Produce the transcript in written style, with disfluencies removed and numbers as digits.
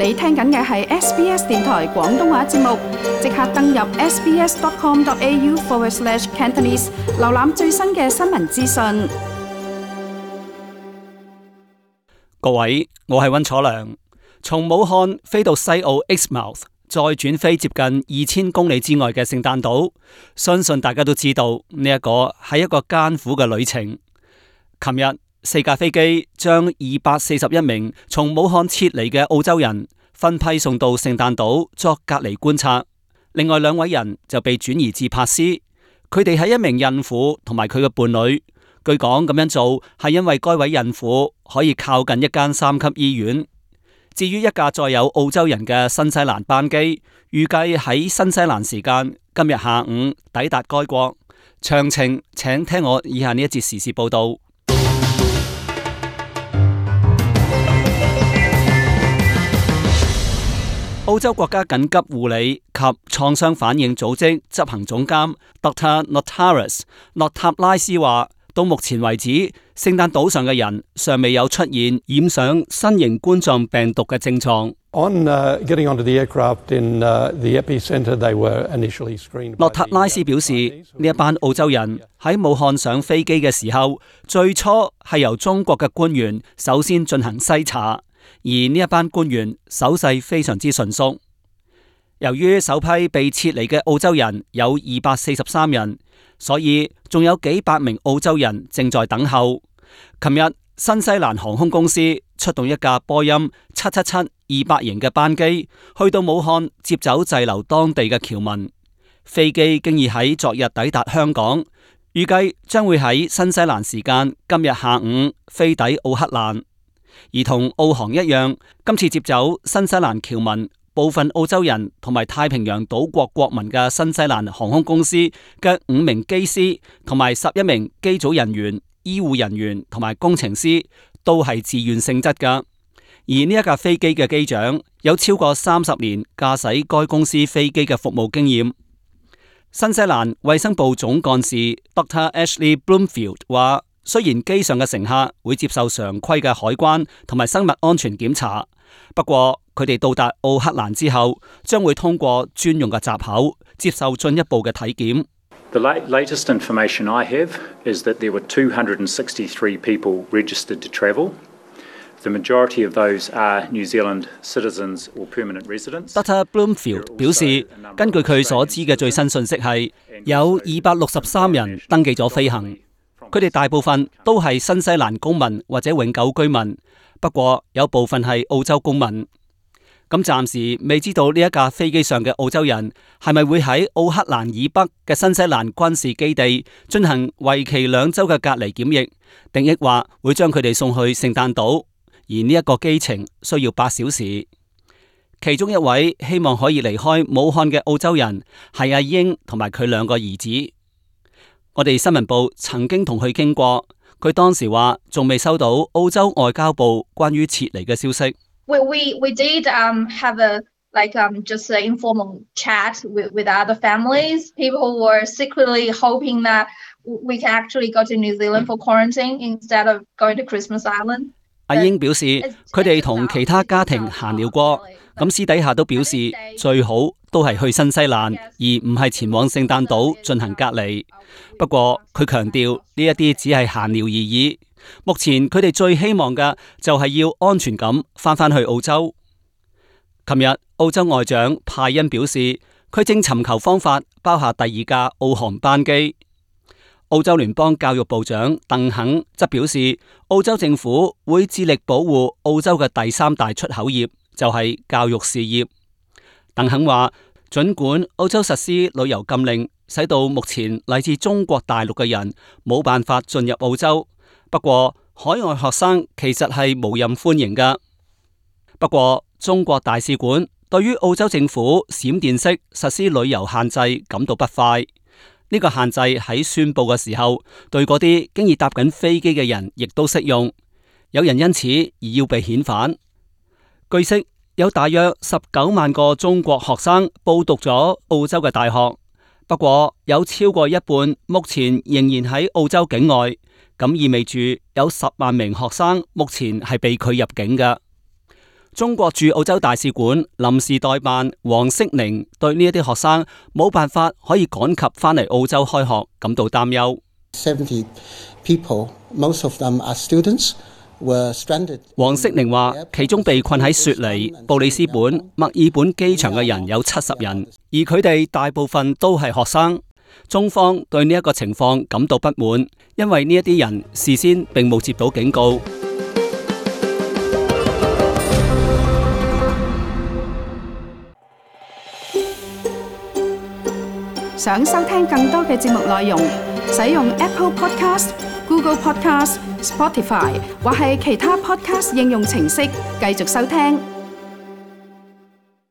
你聽緊嘅係 SBS 電台廣東話節目，即刻登入 sbs.com.au/Cantonese 瀏覽最新嘅新聞資訊。各位，我係溫楚良。從武漢飛到西澳 Exmouth， 再轉飛接近2000公里之外嘅聖誕島，相信大家都知道呢一個係一個艱苦嘅旅程。琴日4架飛機將241名從武漢撤離嘅澳洲人分批送到聖誕島作隔離觀察，另外2位人就被轉移至珀斯。佢哋係一名孕婦同埋佢嘅伴侶。據講咁樣做係因為該位孕婦可以靠近一間3級醫院。至於一架載有澳洲人嘅新西蘭班機，預計喺新西蘭時間今日下午抵達該國。詳情請聽我以下呢一節時事報道。澳洲國家緊急護理及創傷反應組織執行總監 Dr. Notaras 諾塔拉斯話，到目前為止，聖誕島上嘅人尚未有出現染上新型冠狀病毒嘅症狀。諾塔拉斯表示，呢一班澳洲人喺武漢上飛機嘅時候，最初係由中國嘅官員首先進行篩查。而呢一班官員手勢非常之純熟。由於首批被撤離嘅澳洲人有243人，所以仲有幾百名澳洲人正在等候。琴日新西蘭航空公司出動一架波音777-200型嘅班機，去到武漢接走滯留當地嘅僑民。飛機經已喺昨日抵達香港，預計將會喺新西蘭時間今日下午飛抵奧克蘭。而同澳航一樣，今次接走新西蘭僑民、部分澳洲人同埋太平洋島國國民嘅新西蘭航空公司嘅5名機師同埋11名機組人員、醫護人員同埋工程師都係自願性質㗎。而呢一架飛機嘅機長有超過30年駕駛該公司飛機嘅服務經驗。新西蘭衛生部總幹事 Dr. Ashley Bloomfield 話，雖然機上嘅乘客會接受常規嘅海關同埋生物安全檢查，不過佢哋到達奧克蘭之後，將會通過專用嘅閘口接受進一步嘅體檢。The latest information I have is that there were 263 people registered to travel. The majority of those are New Zealand citizens or permanent residents. Dr. Bloomfield 表示，根據佢所知嘅最新信息係，有263人登記咗飛行。佢哋大部分都係新西蘭公民或者永久居民，不過有部分係澳洲公民。咁暫時未知道呢一架飛機上嘅澳洲人係咪會喺奧克蘭以北嘅新西蘭軍事基地進行為期2週嘅隔離檢疫，定抑或會將佢哋送去聖誕島，而呢一個機程需要8小時。其中一位希望可以離開武漢嘅澳洲人係阿英同埋佢2個兒子。我哋新聞部曾經同佢傾過，佢當時話仲未收到澳洲外交部關於撤離嘅消息。We did have just an informal chat with other families. People were secretly hoping that we can actually go to New Zealand for quarantine instead of going to Christmas Island. 阿英表示，佢哋同其他家庭閒聊過，咁私底下都表示最好都係去新西蘭，而唔係前往聖誕島進行隔離。不過佢強調呢一啲只係閒聊而已。目前佢哋最希望嘅就係要安全咁翻去澳洲。琴日澳洲外長派恩表示，佢正尋求方法包下第2架澳航班機。澳洲聯邦教育部長鄧肯則表示，澳洲政府會致力保護澳洲嘅第3大出口業，就係教育事業。鄧肯話，儘管澳洲實施旅遊禁令，使到目前嚟自中國大陸嘅人冇辦法進入澳洲，不過海外學生其實係無任歡迎㗎。不過中國大使館對於澳洲政府閃電式實施旅遊限制感到不快。呢個限制喺宣佈嘅時候，對嗰啲經已搭緊飛機嘅人亦都適用。有人因此而要被遣返。據悉，有大約19萬個中國學生報讀咗澳洲嘅大學，不過有超過一半目前仍然喺澳洲境外，咁意味住有10萬名學生目前係被拒入境嘅。中國駐澳洲大使館臨時代辦黃色寧對呢一啲學生冇辦法可以趕及返嚟澳洲開學感到擔憂。70 people, most of them are students, were stranded. 黃色寧話，其中被困喺雪梨、布里斯本、墨爾本機場嘅人有70人，而佢哋大部分都係學生。中方對呢一個情況感到不滿，因為呢一啲人事先並冇接到警告。想收聽更多嘅節目內容，使用 Apple Podcast、Google Podcast、Spotify 或係其他 Podcast 應用程式繼續收聽。